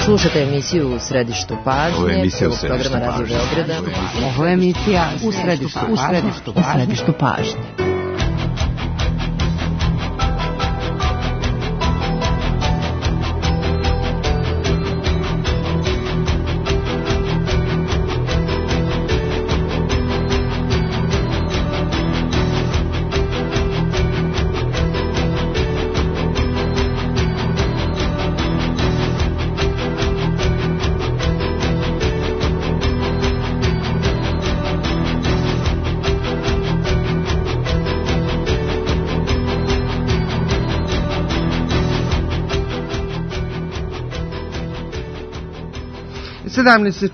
Slušate emisiju U središtu pažnje, prvog programa Radio Beograda. Ovo je emisija U središtu pažnje.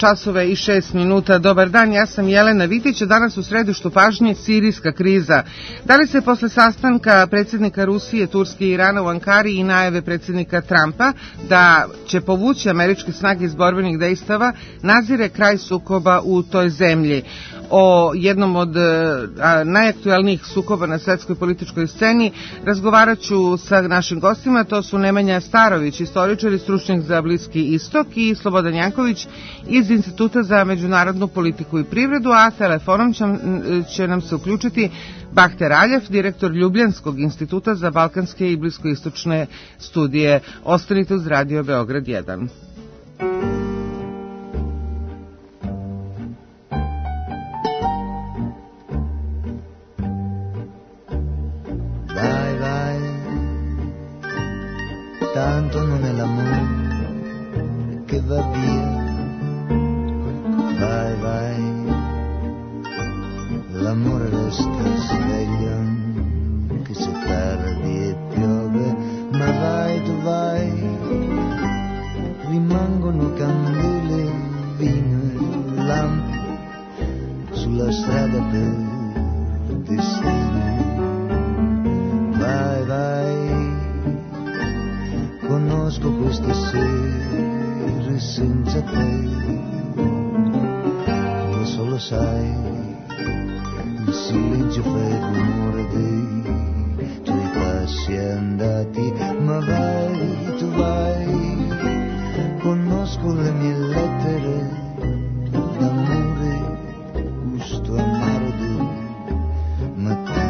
časova i 6 minuta. Dobar dan, ja sam Jelena Vitić, a danas u središtu pažnje sirijska kriza. Da li se posle sastanka predsjednika Rusije, Turske i Irana u Ankari i najave predsjednika Trumpa da će povući američke snage iz borbenih dejstava nazire kraj sukoba u toj zemlji? O jednom od najaktuelnijih sukoba na svetskoj političkoj sceni razgovarat ću sa našim gostima. To su Nemanja Starović, istoričar i stručnjak za Bliski istok, i Slobodan Janković iz Instituta za međunarodnu politiku i privredu, a telefonom će nam se uključiti Bahter Aljev, direktor Ljubljanskog instituta za balkanske i bliskoistočne studije. Ostanite uz Radio Beograd 1. Tanto non è l'amore che va via, vai, vai, l'amore resta sveglio, che se tardi e piove, ma vai, tu vai, rimangono candele, vino e lampi, sulla strada per destino, vai, vai. Conosco queste sere senza te, lo solo sai, il silenzio fa il rumore dei tuoi passi andati, ma vai, tu vai, conosco le mie lettere d'amore, gusto amaro del mattino.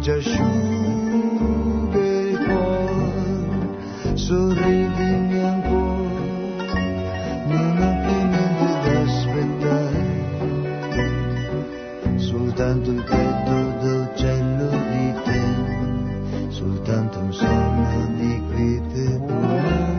Ci asciuga il cuore, sorridimi ancora, non ho più niente da aspettare, soltanto il petto d'uccello di te, soltanto un sogno di quiete domani.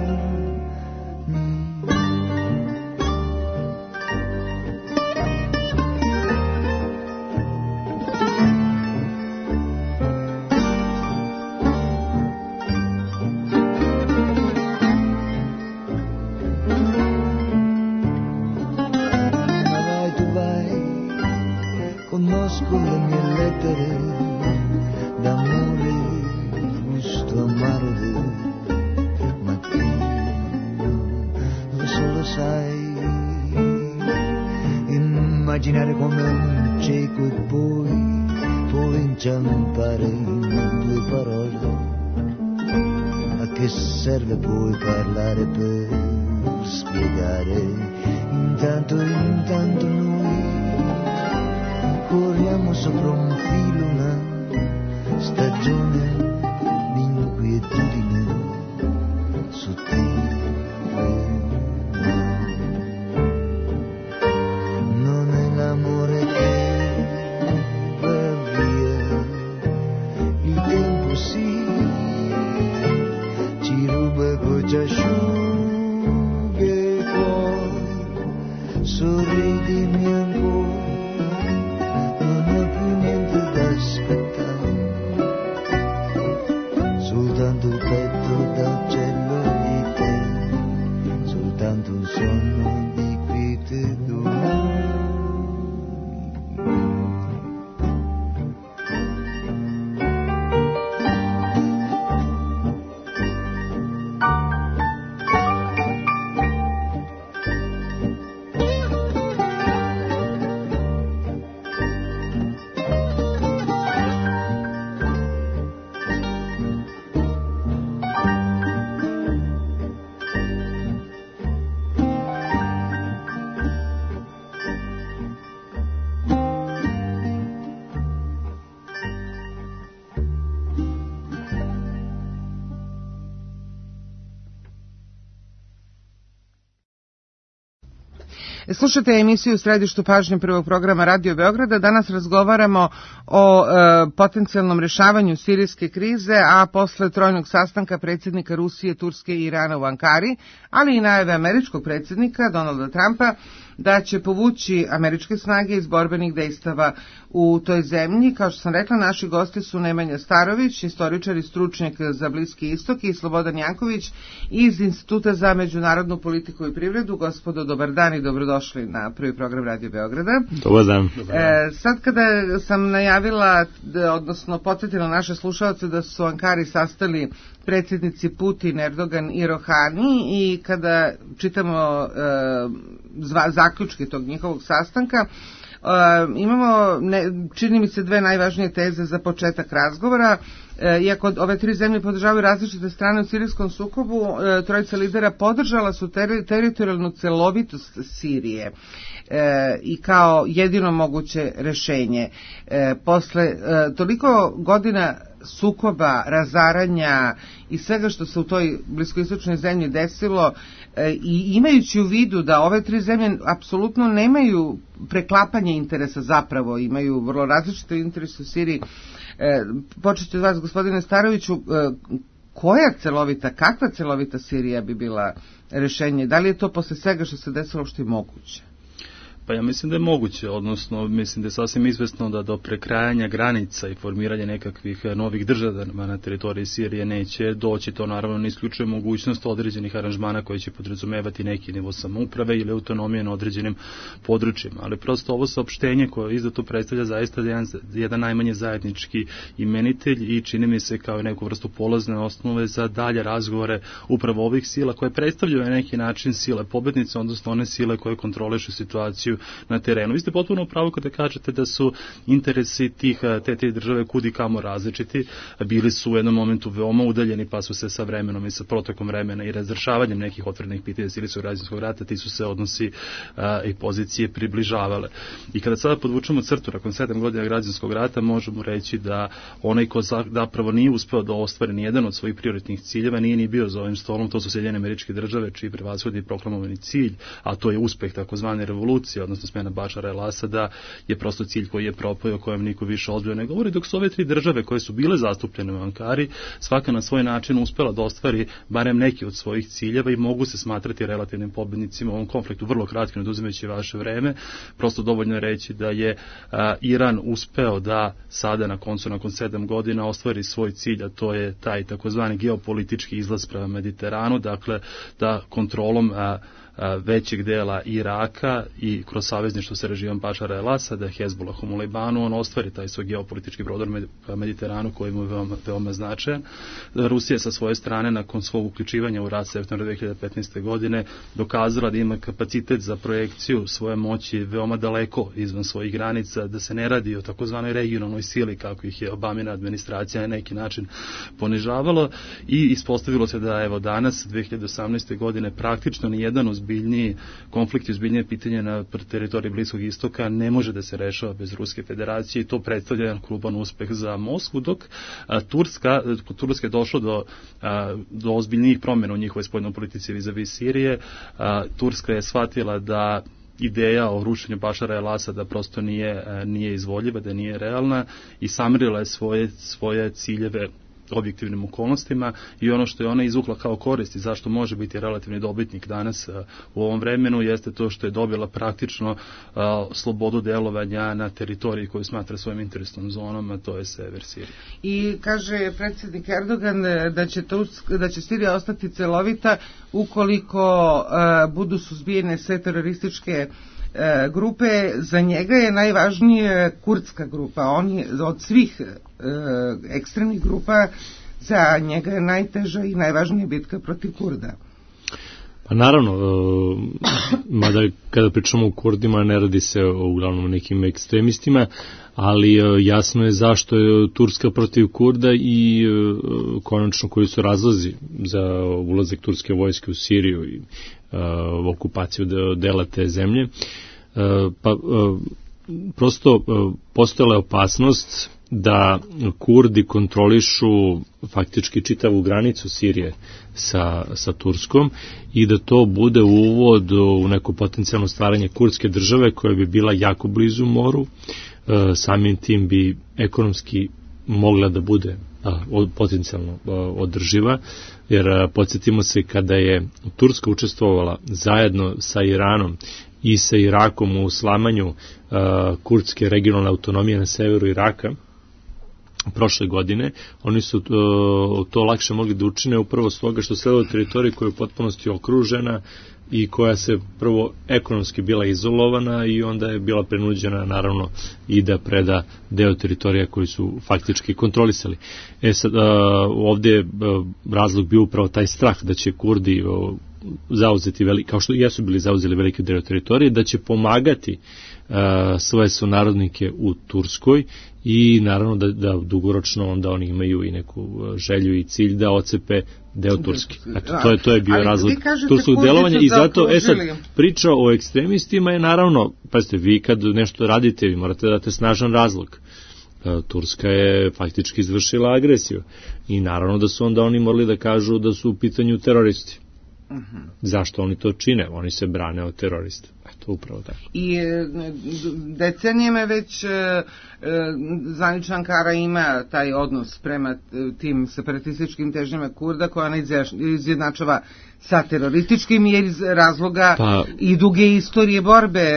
Immaginare come un cieco e poi inciampare in due parole. A che serve poi parlare per spiegare? Intanto noi corriamo sopra un filo, una stagione di inquietudine sottile. L'amore che va via, il tempo sì, ci ruba e poi ci asciuga il cuore, sorridimi ancora, non ho più niente da aspettare, soltanto il petto d'uccello di te, soltanto un sogno di quiete domani. Slušate emisiju Središtu pažnje prvog programa Radio Beograda. Danas razgovaramo o potencijalnom rešavanju sirijske krize, a posle trojnog sastanka predsjednika Rusije, Turske i Irana u Ankari, ali i najave američkog predsjednika Donalda Trumpa da će povući američke snage iz borbenih dejstava u toj zemlji. Kao što sam rekla, naši gosti su Nemanja Starović, istoričar i stručnjak za Bliski istok, i Slobodan Janković iz Instituta za međunarodnu politiku i privredu. Gospodo, dobar dan i dobrodošli na prvi program Radio Beograda. Dobar dan. Sad kada sam najavila, odnosno podsjetila naše slušalce da su u Ankari sastali predsjednici Putin, Erdogan i Rohani, i kada čitamo zaključke tog njihovog sastanka, imamo, čini mi se, dve najvažnije teze za početak razgovora. Iako ove tri zemlje podržavaju različite strane u sirijskom sukobu, trojica lidera podržala su teritorijalnu celovitost Sirije i kao jedino moguće rešenje. Posle toliko godina sukoba, razaranja i svega što se u toj bliskoistočnoj zemlji desilo, i imajući u vidu da ove tri zemlje apsolutno nemaju preklapanje interesa, zapravo imaju vrlo različite interese u Siriji, počet ću od vas, gospodine Staroviću, kakva celovita Sirija bi bila rešenje? Da li je to posle svega što se desilo što je moguće? Pa ja mislim da je moguće, odnosno mislim da je sasvim izvesno da do prekrajanja granica i formiranja nekakvih novih država na teritoriji Sirije neće doći. To naravno ne isključuje mogućnost određenih aranžmana koji će podrazumevati neki nivo samouprave ili autonomije na određenim područjima. Ali prosto ovo saopštenje koje izdato predstavlja zaista jedan najmanje zajednički imenitelj i čini mi se kao neku vrstu polazne osnove za dalje razgovore upravo ovih sila koje predstavljaju na neki način sile pobednice, odnosno one sile koje kontrolišu situaciju na terenu. Vi ste potpuno upravo kada kažete da su interesi te države kudi kamo različiti. Bili su u jednom momentu veoma udaljeni, pa su se sa vremenom i sa protokom vremena i razrešavanjem nekih otvorenih pitanja sirijskog građanskog rata ti su se odnosi i pozicije približavale. I kada sada podvučemo crtu nakon 7 godina građanskog rata, možemo reći da onaj ko zapravo nije uspeo da ostvari ni jedan od svojih prioritnih ciljeva nije ni bio za ovim stolom. To su Sjedinjene Američke Države, čiji prevashodni proklamovani cilj, a to je uspeh takozvane revolucije, odnosno smena Bašara el-Asada, je prosto cilj koji je propao i o kojem niko više ozbiljno ne govori, dok su ove tri države koje su bile zastupljene u Ankari svaka na svoj način uspela da ostvari barem neki od svojih ciljeva i mogu se smatrati relativnim pobednicima u ovom konfliktu. Vrlo kratko, ne oduzimajući vaše vreme, prosto dovoljno je reći da je Iran uspeo da sada nakon 7 godina ostvari svoj cilj, a to je taj takozvani geopolitički izlaz prema Mediteranu, dakle da kontrolom većeg dela Iraka i kroz savezništvo sa režimom Bašara el-Asada, Hezbollahom u Libanu, on ostvari taj svoj geopolitički prodor Mediteranu koji mu je veoma značajan. Rusija sa svoje strane nakon svog uključivanja u rat septembra 2015. godine dokazala da ima kapacitet za projekciju svoje moći veoma daleko izvan svojih granica, da se ne radi o takozvanoj regionalnoj sili kako ih je Obamina administracija na neki način ponižavala, i ispostavilo se da evo danas 2018. godine praktično nijedan ozbiljniji konflikt i ozbiljnije pitanje na teritoriji Bliskog istoka ne može da se rešava bez Ruske federacije, i to predstavlja jedan krupan uspeh za Moskvu, dok Turska je došlo do ozbiljnijih promjena u njihovoj spoljnoj politici vis-a-vis Sirije. Turska je shvatila da ideja o rušenju Bašara el-Asada prosto nije izvodljiva, da nije realna, i samirila je svoje ciljeve objektivnim okolnostima, i ono što je ona izvukla kao korist i zašto može biti relativni dobitnik danas u ovom vremenu jeste to što je dobila praktično slobodu delovanja na teritoriji koju smatra svojim interesnom zonom, a to je sever Sirije. I kaže predsjednik Erdogan da će Sirija ostati celovita ukoliko budu suzbijene sve terorističke grupe. Za njega je najvažnije kurdska grupa. On je od svih ekstremnih grupa, za njega je najteža i najvažnija bitka protiv Kurda. Pa naravno, mada kada pričamo o Kurdima ne radi se uglavnom nekim ekstremistima, ali jasno je zašto je Turska protiv Kurda i konačno koji su razlozi za ulazak turske vojske u Siriju i okupaciju dela te zemlje. Prosto postojala je opasnost da Kurdi kontrolišu faktički čitavu granicu Sirije sa Turskom i da to bude uvod u neko potencijalno stvaranje kurdske države koja bi bila jako blizu moru, samim tim bi ekonomski mogla da bude potencijalno održiva, jer podsjetimo se kada je Turska učestvovala zajedno sa Iranom i sa Irakom u slamanju kurdske regionalne autonomije na severu Iraka prošle godine, oni su to lakše mogli da učine upravo s toga što sleda teritorija koja je u potpunosti okružena i koja se prvo ekonomski bila izolovana i onda je bila prinuđena naravno i da preda deo teritorija koji su faktički kontrolisali. Sad, ovdje je razlog bio upravo taj strah da će Kurdi zauzeti kao što jesu bili zauzeli velike deo teritorije, da će pomagati svoje sunarodnike u Turskoj i naravno da dugoročno onda oni imaju i neku želju i cilj da ocepe deo Turske. Eto, to je bio razlog turskog delovanja i zato, sad, priča o ekstremistima je naravno, pazite, vi kad nešto radite, vi morate da date snažan razlog. Turska je faktički izvršila agresiju i naravno da su onda oni morali da kažu da su u pitanju teroristi. Zašto oni to čine? Oni se brane od terorista. Eto, upravo tako. I decenijeme već zvanična Ankara ima taj odnos prema tim separatističkim težnjama Kurda koja ona izjednačava sa terorističkim jer iz razloga i duge istorije borbe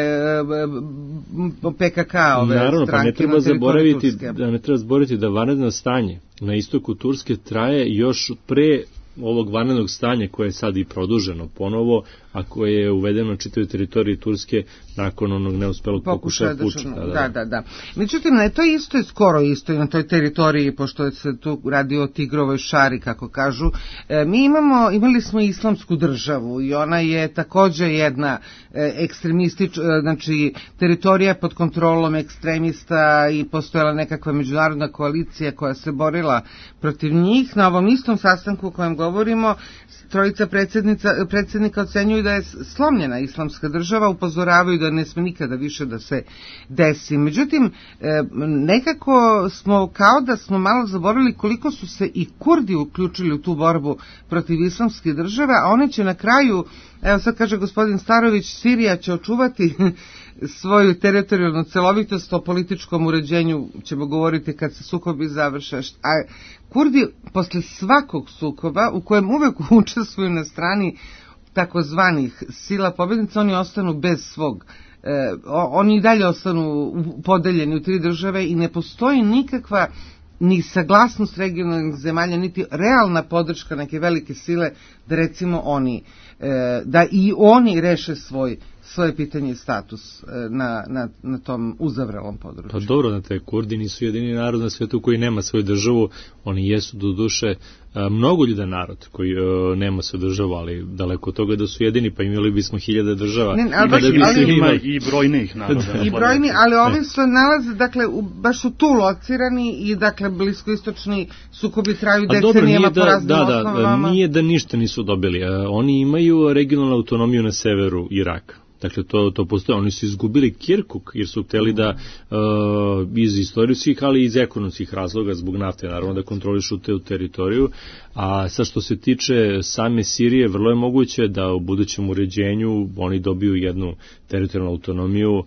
PKK ove naravno, stranke. Ne treba zaboraviti da vanredno stanje na istoku Turske traje još pre ovog vanrednog stanja koje je sad i produženo ponovo, a koje je uvedeno na čitavoj teritoriji Turske nakon onog neuspelog pokušaja puča. Da. Međutim, to isto je skoro isto i na toj teritoriji, pošto se tu radi o Tigrovoj šari, kako kažu. Imali smo islamsku državu i ona je također jedna ekstremistička, znači teritorija pod kontrolom ekstremista i postojala nekakva međunarodna koalicija koja se borila protiv njih. Na ovom istom sastanku o kojem govorimo, trojica predsjednika ocenjuju da je slomljena islamska država, upozoravaju da ne sme nikada više da se desi. Međutim, nekako smo kao da smo malo zaboravili koliko su se i Kurdi uključili u tu borbu protiv islamske države, a one će na kraju, evo sad kaže gospodin Starović, Sirija će očuvati svoju teritorijalnu celovitost, o političkom uređenju ćemo govoriti kad se sukobi završe. A Kurdi posle svakog sukoba u kojem uvek učestvuju na strani takozvanih sila pobjednica, oni ostanu bez svog, oni i dalje ostanu podeljeni u tri države i ne postoji nikakva ni saglasnost regionalnih zemalja, niti realna podrška neke velike sile da recimo da i oni reše svoje pitanje i status na tom uzavrelom području. Pa dobro, znate, Kurdi nisu jedini narod na svetu koji nema svoju državu, oni jesu do duše mnogoljudan narod koji nema svoju državu, ali daleko od toga da su jedini, pa imali bismo 1000 država. Ima i brojnih naroda. I brojni, ali ovi se nalaze, dakle, baš su tu locirani i, dakle, bliskoistočni sukobi traju decenijama po raznim osnovama. Nije da ništa nisu dobili. Oni imaju regionalnu autonomiju na severu Iraka. Dakle, to postoje. Oni su izgubili Kirkuk jer su hteli da iz istorijskih, ali i iz ekonomskih razloga zbog nafte, naravno da kontrolišu te teritoriju. A sad što se tiče same Sirije, vrlo je moguće da u budućem uređenju oni dobiju jednu teritorijalnu autonomiju,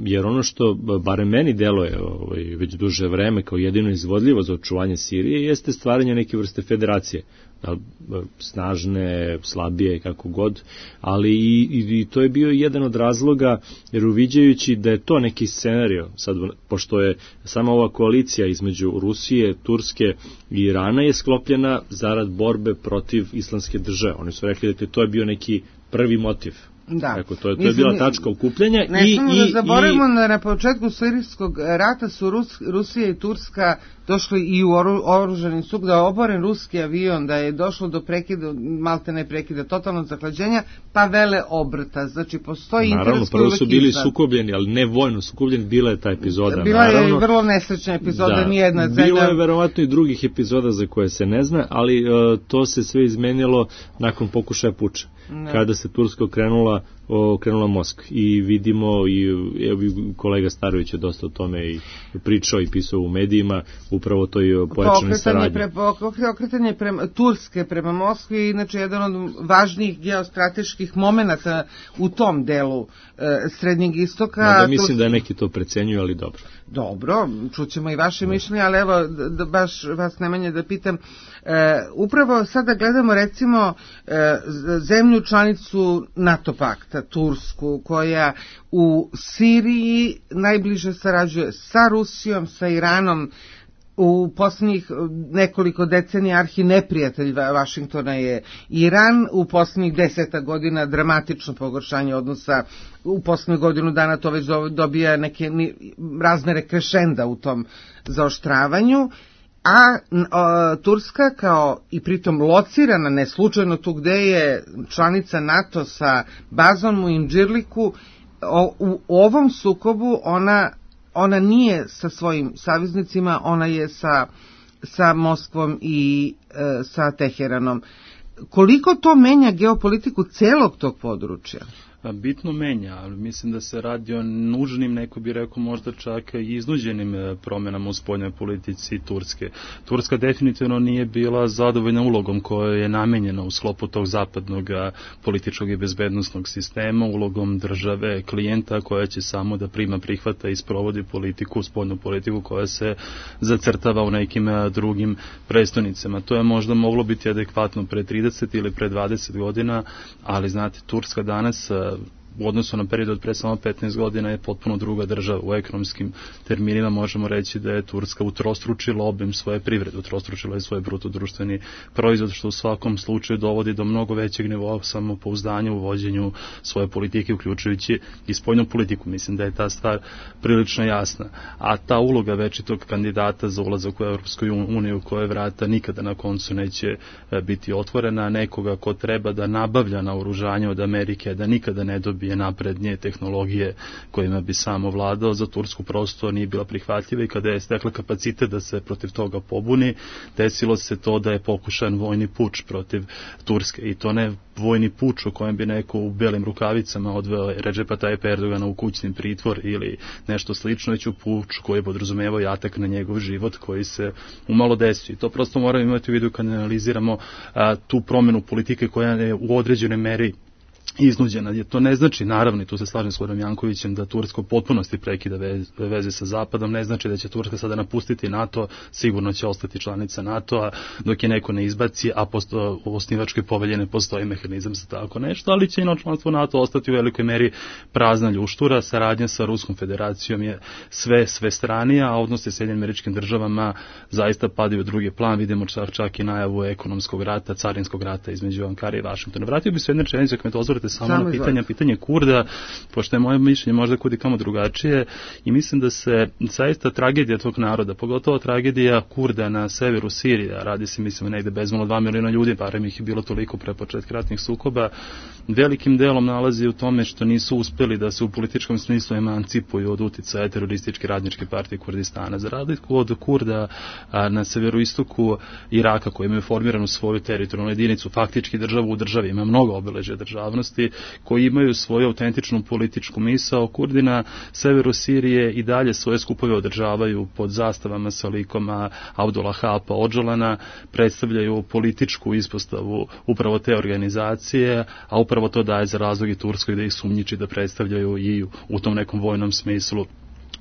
jer ono što barem meni deluje već duže vreme kao jedino izvodljivo za očuvanje Sirije jeste stvaranje neke vrste federacije, snažne, slabije, kako god, ali i to je bio jedan od razloga, jer uviđajući da je to neki scenario, sad, pošto je sama ova koalicija između Rusije, Turske i Irana je sklopljena zarad borbe protiv islamske države. Oni su rekli da to je bio neki prvi motiv. Da. Tako, to je bila tačka okupljanja. Ne smemo da zaboravimo na početku sirijskog rata su Rusija i Turska došli i u oružani sukob, da je oboren ruski avion, da je došlo do prekida, maltene prekida, totalnog zahlađenja, pa vele obrta. Znači, postoji interes. Naravno, prvo su bili sukobljeni, ali ne vojno sukobljeni, bila je ta epizoda. Bila je i vrlo nesrećna epizoda, nijedna zemlja. Bilo je verovatno i drugih epizoda za koje se ne zna, ali to se sve izmenilo nakon pokušaja puča. kada se Turska okrenula Moskvi. I vidimo, i kolega Starović je dosta o tome i pričao i pisao u medijima, upravo to je pojačane saradnje. Okretanje Turske prema Moskvi, inače jedan od važnijih geostrateških momenata u tom delu Srednjeg istoka. Mislim da neki to precenjuju, ali dobro. Dobro, čućemo i vaše mišljenje, ali evo, baš vas Nemanja da pitam, upravo sada gledamo recimo zemlju članicu NATO pakta, Tursku, koja u Siriji najbliže sarađuje sa Rusijom, sa Iranom. U posljednjih nekoliko decenija arhineprijatelj Vašingtona je Iran, u posljednjih 10 godina dramatično pogoršanje odnosa, u posljednjih godinu dana to već dobija neke razmere krešenda u tom zaoštravanju, a Turska kao i pritom locirana, ne slučajno tu gde je članica NATO sa bazom u Indžirliku, u ovom sukobu ona nije sa svojim saveznicima, ona je sa Moskvom i sa Teheranom. Koliko to menja geopolitiku celog tog područja? Bitno menja, ali mislim da se radi o nužnim, neko bi rekao možda čak i iznuđenim promenama u spoljnoj politici Turske. Turska definitivno nije bila zadovoljna ulogom koja je namenjena u sklopu tog zapadnog političkog i bezbednosnog sistema, ulogom države, klijenta koja će samo da prihvata i sprovodi politiku, spoljnu politiku koja se zacrtava u nekim drugim prestonicama. To je možda moglo biti adekvatno pre 30 ili pre 20 godina, ali znate, Turska danas u odnosu na period od pre samo 15 godina je potpuno druga država. U ekonomskim terminima možemo reći da je Turska utrostručila obim svoje privrede, utrostručila je svoj bruto društveni proizvod, što u svakom slučaju dovodi do mnogo većeg nivoa samopouzdanja u vođenju svoje politike, uključujući i spoljnu politiku. Mislim da je ta stvar prilično jasna. A ta uloga večitog kandidata za ulazak u Europsku uniju, koje vrata nikada na koncu neće biti otvorena, nekoga ko treba da nabavlja naoružanje od Amerike, da nikada ne dobije naprednije tehnologije kojima bi samo vladao, za Tursku prosto nije bila prihvatljiva, i kada je stekla kapacitet da se protiv toga pobuni, desilo se to da je pokušan vojni puč protiv Turske, i to ne vojni puč u kojem bi neko u belim rukavicama odveo Redžepa Tajip Erdogana u kućni pritvor ili nešto slično, već u puč koji je podrazumevao i atak na njegov život koji se umalo desio. I to prosto moramo imati u vidu kad analiziramo tu promenu politike koja je u određenoj meri iznuđena. To ne znači, naravno, i tu se slažem s Goranom Jankovićem, da Turska u potpunosti prekida veze sa Zapadom, ne znači da će Turska sada napustiti NATO, sigurno će ostati članica NATO-a dok je neko ne izbaci, a u osnivačkoj povelji ne postoji mehanizam za tako nešto, ali će i članstvo NATO ostati u velikoj meri prazna ljuštura. Saradnja sa Ruskom federacijom je sve stranija, a odnosi s Sjedinjenim Američkim Državama zaista padaju u drugi plan. Vidimo čak i najavu ekonomskog rata, carinskog rata između Ankare i Vašingtona. Vratio bi se jedne rečenice ako me dozvolite samo na pitanje Kurda, pošto je moje mišljenje možda kudi kamo drugačije, i mislim da se zaista tragedija tog naroda, pogotovo tragedija Kurda na severu Sirije, radi se, mislim, negde bezmalo 2 miliona ljudi, barem ih je bilo toliko pre početka ratnih sukoba, velikim delom nalazi u tome što nisu uspeli da se u političkom smislu emancipuju od uticaja terorističke radničke partije Kurdistana. Za razliku od Kurda na severoistoku Iraka, koji imaju formiranu svoju teritorijalnu jedinicu, faktički državu u državi, ima mnogo obeležja državnosti, koji imaju svoju autentičnu političku misao. Kurdi na severu Sirije i dalje svoje skupove održavaju pod zastavama sa likom Abdullaha Öcalana, predstavljaju političku ispostavu upravo te organizacije, a upravo to daje za razlog i Turskoj da ih sumnjiči da predstavljaju i u tom nekom vojnom smislu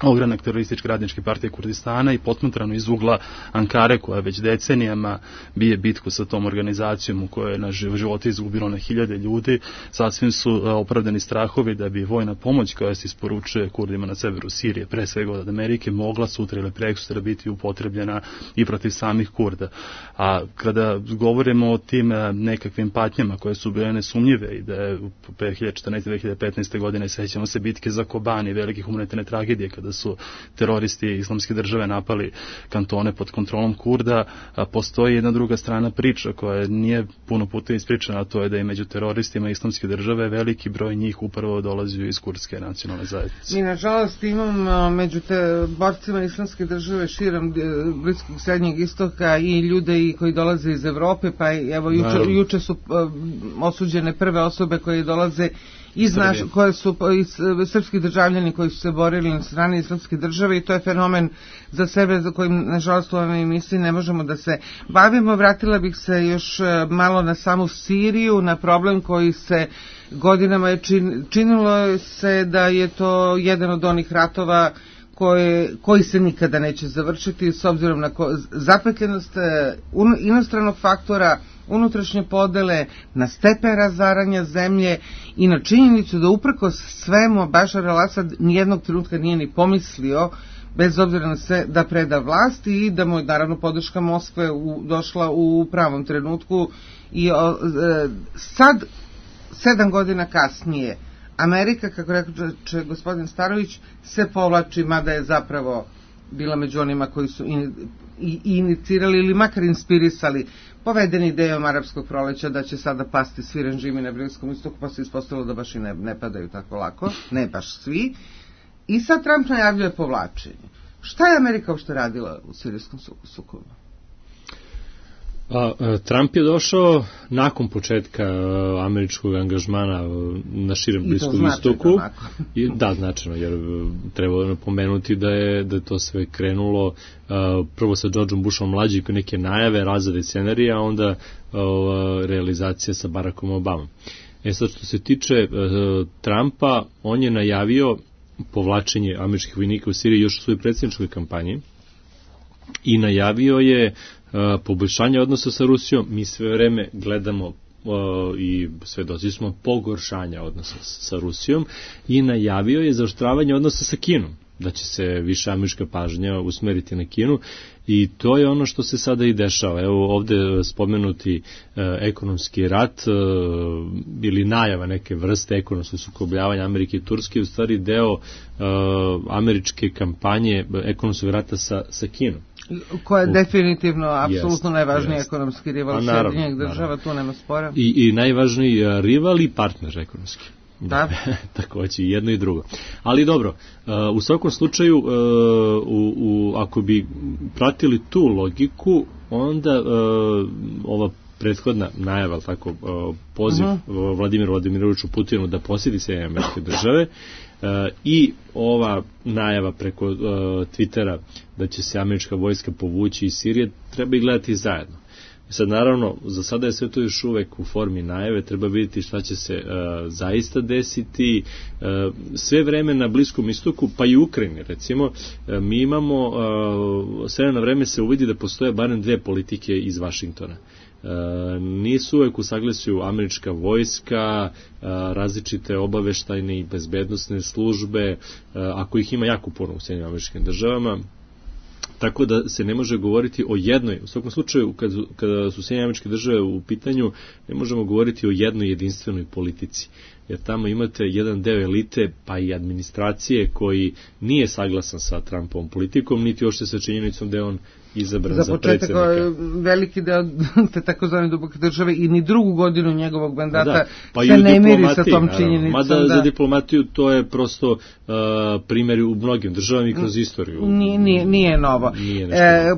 ogranak terorističke radničke partije Kurdistana, i potmatrano iz ugla Ankare, koja već decenijama bije bitku sa tom organizacijom u kojoj je na živote izgubilo na hiljade ljudi. Sasvim su opravdani strahovi da bi vojna pomoć koja se isporučuje Kurdima na severu Sirije, pre svega od Amerike, mogla sutra ili prekosutra biti upotrebljena i protiv samih Kurda. A kada govorimo o tim nekakvim patnjama koje su bile nesumnjive, i da je 2014. 2015. godine, sećamo se bitke za Kobani, velike humanitarne tragedije, kada kada su teroristi Islamske države napali kantone pod kontrolom Kurda, postoji jedna druga strana priča koja nije puno puta ispričana, a to je da je među teroristima Islamske države veliki broj njih upravo dolazio iz kurdske nacionalne zajednice. Mi nažalost imamo među borcima Islamske države širom Bliskog Srednjeg Istoka i ljude koji dolaze iz Evrope, pa evo juče su osuđene prve osobe koje dolaze koje su srpski državljani koji su se borili na strani Islamske države, i to je fenomen za sebe za kojim nažalost u ovoj emisiji ne možemo da se bavimo. Vratila bih se još malo na samu Siriju, na problem koji se godinama je činilo se da je to jedan od onih ratova koji se nikada neće završiti s obzirom na zapetljenost inostranog faktora, unutrašnje podele, na stepen razaranja zemlje i na činjenicu da uprkos svemu Bašar al-Asad nijednog trenutka nije ni pomislio, bez obzira na sve, da preda vlast, i da mu je naravno podrška Moskve došla u pravom trenutku. I sad, 7 godina kasnije, Amerika, kako reče gospodin Starović, se povlači, mada je zapravo bila među onima koji su inicirali ili makar inspirisali povedeni idejom arapskog proleća da će sada pasti svi režimi na Bliskom istoku, pa se ispostavilo da baš i ne padaju tako lako, ne baš svi. I sad Trump najavljuje povlačenje. Šta je Amerika uopšte radila u sirijskom sukobu? Trump je došao nakon početka američkog angažmana na širem Bliskom istoku. Da, značajno, jer treba napomenuti da je to sve krenulo prvo sa Georgeom Bushom mlađim, neke najave, razrade scenarija, a onda realizacija sa Barackom Obamom. Sad što se tiče Trumpa, on je najavio povlačenje američkih vojnika u Siriji još u svojoj predsjedničkoj kampanji i najavio je poboljšanje odnosa sa Rusijom. Mi sve vreme gledamo i svedoci smo pogoršanja odnosa sa Rusijom, i najavio je zaoštravanje odnosa sa Kinom, da će se više američka pažnja usmeriti na Kinu, i to je ono što se sada i dešava. Evo ovde spomenuti ekonomski rat ili najava neke vrste ekonomskog sukobljavanja Amerike i Turske, u stvari deo američke kampanje ekonomskog rata sa Kinom. Koja je definitivno, apsolutno najvažniji ekonomski rival Sjedinjenih država, tu nema spora. I najvažniji rival i partner ekonomski. Da, takođe, jedno i drugo. Ali dobro, u svakom slučaju, ako bi pratili tu logiku, onda ova prethodna najava, tako, poziv Vladimiru Vladimiroviću Putinu da posjeti Sjedinjene Američke Države, i ova najava preko Twittera da će se američka vojska povući iz Sirije, treba i gledati zajedno. Sad, naravno, za sada je sve to još uvek u formi najave, treba vidjeti šta će se zaista desiti. Sve vreme na Bliskom istoku, pa i u Ukrajini, recimo, mi imamo, sve na vreme se uvidi da postoje barem dve politike iz Vašingtona. Nisu uvek u saglasju američka vojska, različite obaveštajne i bezbednosne službe, ako ih ima jako puno u Sjedinjenim Američkim Državama, tako da se ne može govoriti o jednoj, u svakom slučaju kada su Sjedinjene Američke Države u pitanju, ne možemo govoriti o jednoj jedinstvenoj politici, jer tamo imate jedan deo elite, pa i administracije, koji nije saglasan sa Trumpovom politikom, niti ošte sa činjenicom da je on izabran za predsjednika. Za početak, veliki deo te takozvane duboke države i ni drugu godinu njegovog mandata se ne miri sa tom činjenicom. Mada za diplomatiju to je prosto primjer u mnogim državama i kroz istoriju. Nije novo.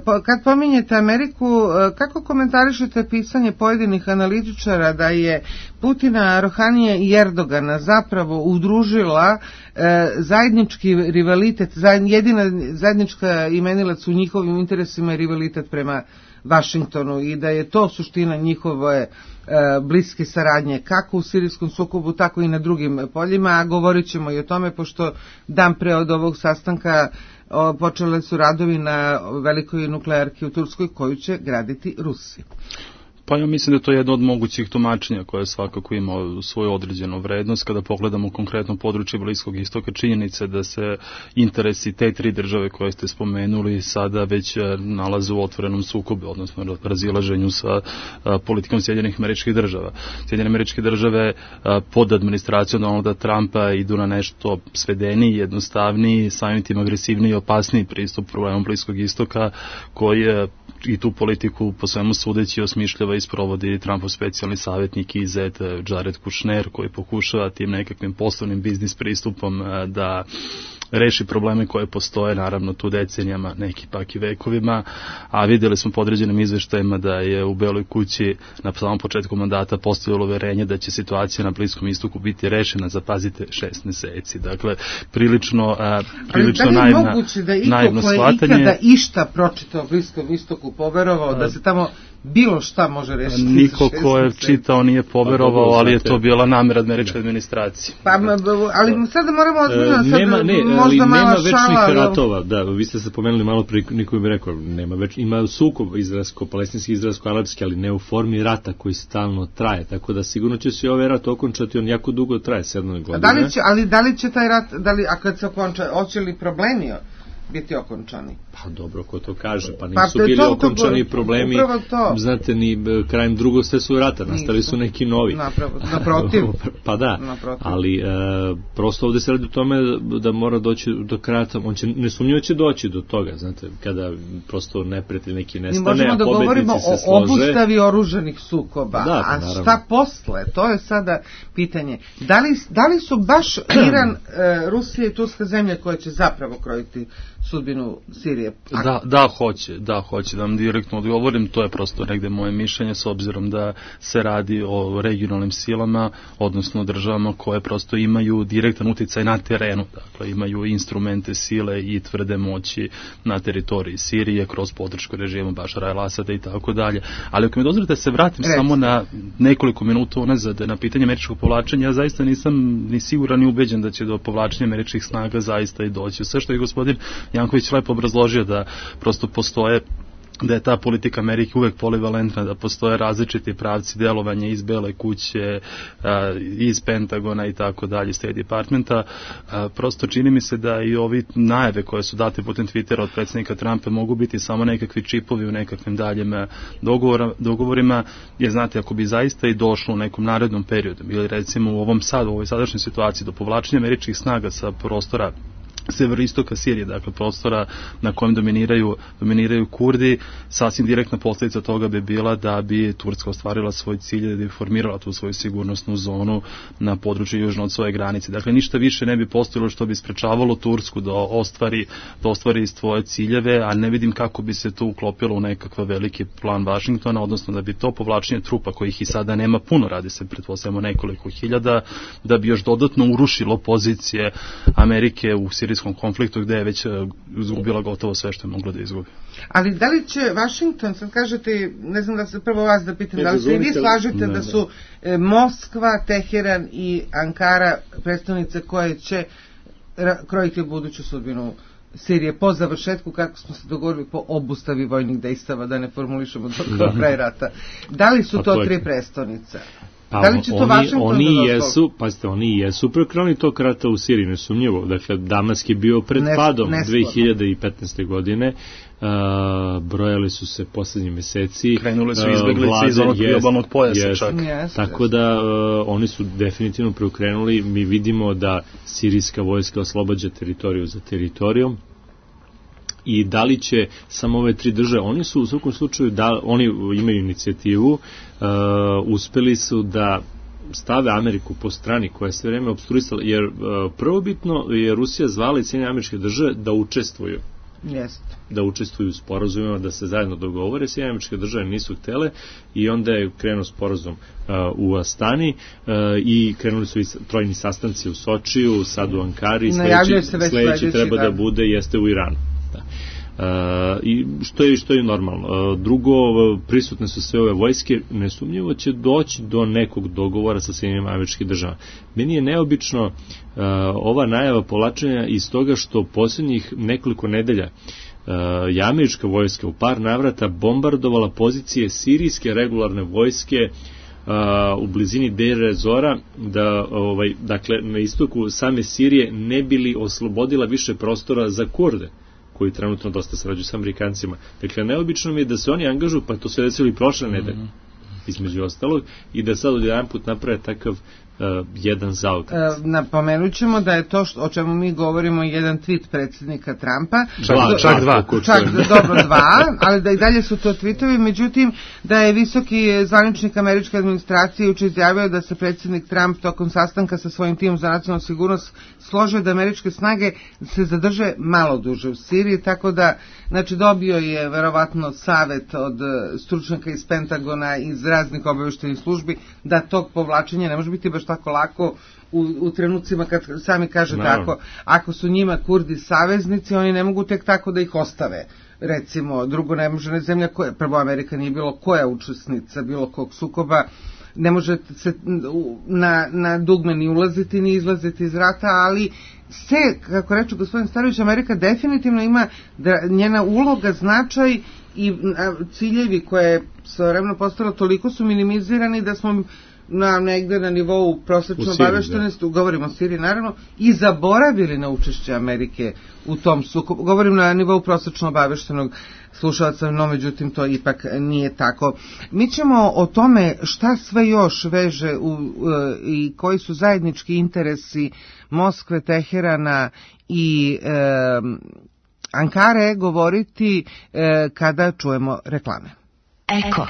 Kad pominjete Ameriku, kako komentarišete pisanje pojedinih analitičara da je Putina, Rohanije i Erdogana zapravo udružila zajednički rivalitet, jedina zajednička imenilac u njihovim interesima je rivalitet prema Vašingtonu, i da je to suština njihove bliske saradnje kako u sirijskom sukobu, tako i na drugim poljima, a govorit ćemo i o tome, pošto dan pre od ovog sastanka počele su radovi na velikoj nuklearki u Turskoj koju će graditi Rusi. Pa ja mislim da to je jedno od mogućih tumačenja koje svakako ima svoju određenu vrednost. Kada pogledamo konkretno područje Bliskog istoka, činjenice da se interesi te tri države koje ste spomenuli sada već nalaze u otvorenom sukobu, odnosno razilaženju sa politikom Sjedinjenih Američkih Država. Sjedinjene Američke Države pod administracijom Donalda Trumpa idu na nešto svedeniji, jednostavniji, samim tim agresivniji i opasniji pristup problemom Bliskog istoka, koji i tu politiku po svemu sudeći osmišljava i sprovodi Trumpov specijalni savjetnik i zet Jared Kushner, koji pokušava tim nekakvim poslovnim biznis pristupom da reši probleme koje postoje, naravno tu decenijama, neki pak i vekovima, a vidjeli smo po određenim izveštajima da je u Beloj kući na samom početku mandata postojalo uverenje da će situacija na Bliskom istoku biti rešena za, pazite, 6 meseci. Dakle, prilično naivno shvatanje. Da li je moguće da iko ko je ikada išta pročitao o Bliskom istoku poverovao da se tamo bilo šta može rešiti? Niko ko je čitao nije poverovao, ali je to bila namera američke administracije. Pa, ali sada moramo ozbiljno možda nema večnih ratova, da, vi ste se pomenuli malo prije, niko bi rekao, ima sukob izraelsko-palestinski, izraelsko-arapski, ali ne u formi rata koji stalno traje, tako da sigurno će se ovaj rat okončati, on jako dugo traje, 7 godina. Da li će taj rat, a kad se okonča, hoće li problemi biti okončani? Pa dobro, ko to kaže, pa nisu bili okončani problemi, znate, ni krajem Drugog svjetskog rata, nastali su neki novi. Naprotiv. Pa da, ali prosto ovdje se radi o tome da mora doći do kraja, on će, nesumnjivo će doći do toga, znate, kada prosto neprijatelj neki nestane, a pobednici se slože. Mi možemo da govorimo o obustavi oružanih sukoba, a šta posle, to je sada pitanje. Da li su baš Iran, Rusija i Turska zemlje koje će zapravo krojiti sudbinu Sirije? Da, hoće da vam direktno odgovorim, to je prosto negde moje mišljenje, s obzirom da se radi o regionalnim silama, odnosno državama koje prosto imaju direktan uticaj na terenu, dakle imaju instrumente sile i tvrde moći na teritoriji Sirije kroz podršku režimu Bašara el-Asada i tako dalje. Ali ako mi dozvolite se vratim samo na nekoliko minuta unazad na pitanje američkog povlačenja, ja zaista nisam ni siguran ni ubeđen da će do povlačenja američkih snaga zaista i doći. Sve što je gospodin Janković lepo obrazložio, da prosto postoje, da je ta politika Amerike uvek polivalentna, da postoje različiti pravci delovanja iz Bele kuće, iz Pentagona i tako dalje, State Departmenta. Prosto čini mi se da i ovi najave koje su date putem Twittera od predsjednika Trumpa mogu biti samo nekakvi čipovi u nekakvim daljem dogovorima, jer znate, ako bi zaista i došlo u nekom narednom periodu, ili recimo u ovoj sadašnjoj situaciji do povlačenja američkih snaga sa prostora severistoka Sirije, dakle prostora na kojem dominiraju Kurdi, sasvim direktna posljedica toga bi bila da bi Turska ostvarila svoj cilj, da bi formirala tu svoju sigurnosnu zonu na području južno od svoje granice. Dakle, ništa više ne bi postojalo što bi sprečavalo Tursku da ostvari svoje ciljeve, a ne vidim kako bi se to uklopilo u nekakav veliki plan Vašingtona, odnosno da bi to povlačenje trupa, kojih i sada nema puno, radi se pretpostavljamo nekoliko hiljada, da bi još dodatno urušilo pozicije Amerike u sirijskom konfliktu, gde je već izgubila gotovo sve što je mogla da izgubi. Ali da li će Vašington, sad kažete, ne znam da se prvo vas da pitam, da li se i vi slažete da su Moskva, Teheran i Ankara predstavnice koje će krojiti buduću sudbinu Sirije po završetku, kako smo se dogovorili, po obustavi vojnih dejstava, da ne formulišemo do kraja rata. Da li su to tri prestonice? Da li će to oni jesu preokrenuli tog rata u Siriji, nesumnjivo. Dakle, Damask je bio pred padom 2015. godine, brojali su se posljednji meseci. Krenuli su izbeglice iz onog priobalnog pojasa čak. Tako da oni su definitivno preokrenuli. Mi vidimo da sirijska vojska oslobađa teritoriju za teritorijom. I da li će samo ove tri države, oni su u svakom slučaju, oni imaju inicijativu, uspeli su da stave Ameriku po strani koja je sve vreme obstruisala, jer prvobitno je Rusija zvala i Sjedinjene Američke Države da učestvuju. Da učestvuju u sporazumima, da se zajedno dogovore. Sjedinjene Američke Države nisu htele i onda je krenuo sporazum u Astani i krenuli su i trojni sastanci u Sočiju, sad u Ankari, sledeći treba da bude jeste u Iranu. I što je normalno. Drugo, prisutne su sve ove vojske, nesumnjivo će doći do nekog dogovora sa Sjedinjenim Američkim Državama. Meni je neobično ova najava povlačenja iz toga što posljednjih nekoliko nedelja je američka vojska u par navrata bombardovala pozicije sirijske regularne vojske u blizini Deir ez-Zora, da dakle na istoku same Sirije ne bili oslobodila više prostora za Kurde, koji trenutno dosta sarađuju sa Amerikancima. Dakle, neobično mi je da se oni angažuju, pa to se desilo i prošle nedelje, između ostalog, i da sad odjedan put naprave takav jedan zaokret. Napomenut ćemo da je to o čemu mi govorimo jedan tweet predsjednika Trumpa. Čak dva. Dobro, dva, ali da i dalje su to tweetovi. Međutim, da je visoki zvaničnik američke administracije juče izjavio da se predsjednik Trump tokom sastanka sa svojim timom za nacionalnu sigurnost složio da američke snage se zadrže malo duže u Siriji, tako da, znači, dobio je verovatno savet od stručnjaka iz Pentagona, iz raznih obavještajnih službi, da tog povlačenja ne može biti baš tako lako u trenucima kad sami kaže tako, ako su njima Kurdi saveznici, oni ne mogu tek tako da ih ostave. Recimo, drugo, ne može zemlja koja, prvo Amerika nije bilo koja učesnica bilo kog sukoba, ne može se na dugme ni ulaziti ni izlaziti iz rata, ali se, kako reče gospodin Starović, Amerika definitivno ima njena uloga, značaj i ciljevi koje je svojevremeno postalo toliko su minimizirani da smo negde na nivou prosečno obaveštenosti, govorimo o Siriji naravno, i zaboravili na učešće Amerike u tom sukobu. Govorim na nivou prosečno obaveštenog slušalca, no međutim to ipak nije tako. Mi ćemo o tome šta sve još veže i koji su zajednički interesi Moskve, Teherana i Ankare govoriti kada čujemo reklame. Eko.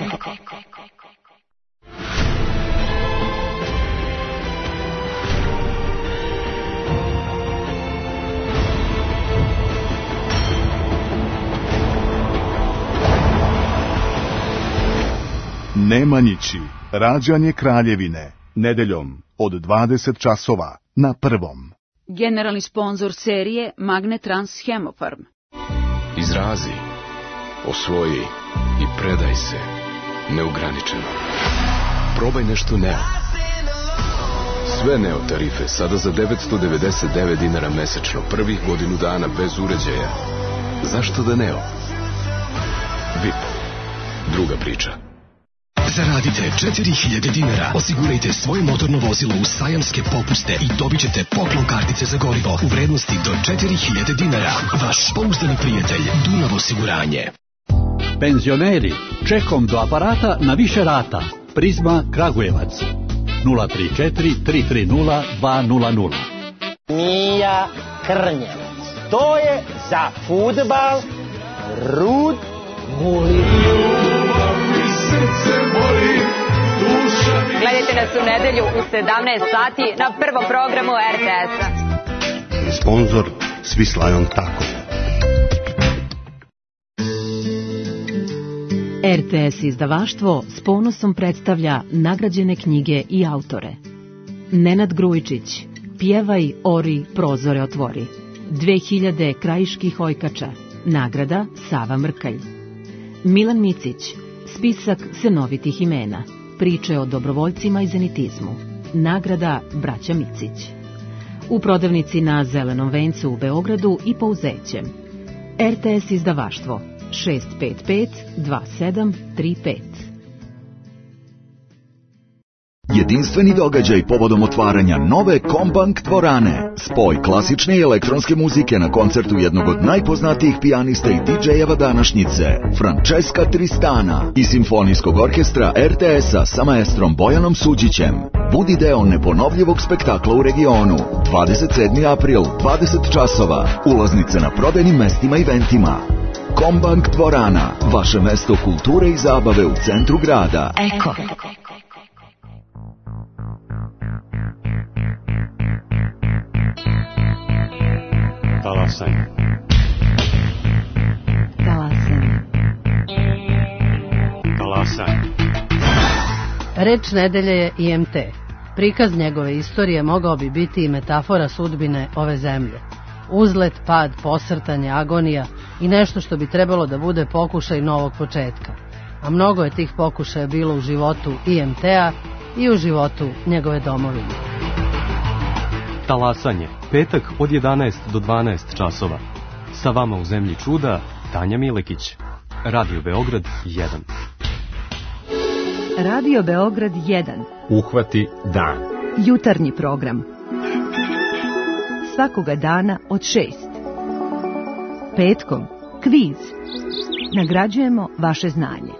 Nemanjići, rađanje Kraljevine, nedeljom od 20 časova na Prvom. Generalni sponzor serije Magnetrans Hemofarm. Izrazi, osvoji i predaj se neograničeno. Probaj nešto Neo. Sve Neo tarife sada za $999 mesečno, prvih godinu dana bez uređaja. Zašto da Neo? VIP. Druga priča. Zaradite $4000, osigurajte svoje motorno vozilo u sajamske popuste i dobit ćete poklon kartice za gorivo u vrednosti do $4000. Vaš pouzdani prijatelj Dunav osiguranje. Penzioneri, čekom do aparata na više rata. Prizma Kragujevac 034 330 200. Mija Krnjevac. To je za fudbal Rud Mulin. Gledajte nas u nedelju u 17 sati na prvom programu RTS-a. Sponzor Swiss Lion Taco. RTS izdavaštvo s ponosom predstavlja nagrađene knjige i autore. Nenad Grujičić, Pjevaj, ori, prozore otvori. 2000 krajiških ojkača. Nagrada Sava Mrkalj. Milan Micić, Spisak senovitih imena. Priče o dobrovoljcima i zenitizmu. Nagrada Braća Micić. U prodavnici na Zelenom vencu u Beogradu i Pouzećem. RTS izdavaštvo 655 2735. Jedinstveni događaj povodom otvaranja nove Kombank dvorane. Spoj klasične i elektronske muzike na koncertu jednog od najpoznatijih pijanista i DJ-eva današnjice, Francesca Tristana, i simfonijskog orkestra RTS-a sa maestrom Bojanom Suđićem. Budi deo neponovljivog spektakla u regionu. 27. april, 20 časova. Ulaznice na prodajnim mestima i ventima. Kombank dvorana, vaše mesto kulture i zabave u centru grada. Eko. Talasaj. Reč nedelje je IMT. Prikaz njegove istorije mogao bi biti i metafora sudbine ove zemlje. Uzlet, pad, posrtanje, agonija i nešto što bi trebalo da bude pokušaj novog početka. A mnogo je tih pokušaja bilo u životu IMT-a i u životu njegove domovine. Talasanje, petak od 11 do 12 časova. Sa vama u Zemlji čuda, Tanja Milekić. Radio Beograd 1. Radio Beograd 1. Uhvati dan. Jutarnji program. Svakoga dana od 6. Petkom kviz. Nagrađujemo vaše znanje.